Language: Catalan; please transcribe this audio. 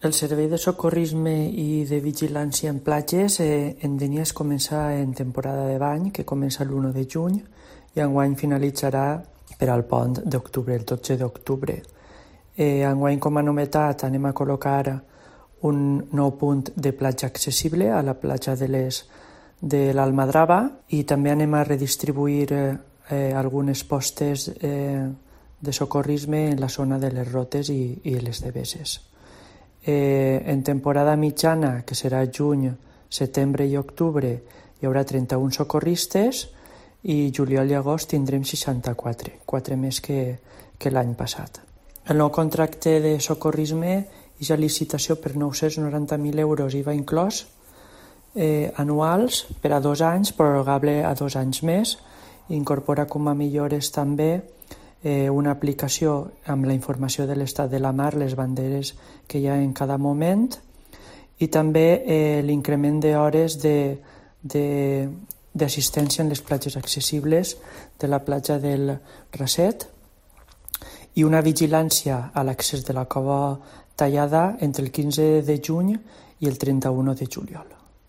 El servei de socorrisme i de vigilància en platges en Dénia es comença en temporada de bany, que comença l'1 de juny i enguany finalitzarà per al pont d'octubre, el 12 d'octubre. Enguany, com a novetat, anem a col·locar un nou punt de platja accessible a la platja de l'Almadrava i també anem a redistribuir algunes postes de socorrisme en la zona de les Rotes i les Deveses. En temporada mitjana, que serà juny, setembre i octubre, hi haurà 31 socorristes i juliol i agost tindrem 64, 4 més que l'any passat. El nou contracte de socorrisme és a licitació per 990.000 euros IVA inclòs anuals per a 2 anys, prorrogable a 2 anys més. Incorpora com a millores també una aplicació amb la informació de l'estat de la mar, les banderes que hi ha en cada moment i també l'increment d'hores d'assistència en les platges accessibles de la platja del Raset i una vigilància a l'accés de la cova tallada entre el 15 de juny i el 31 de juliol.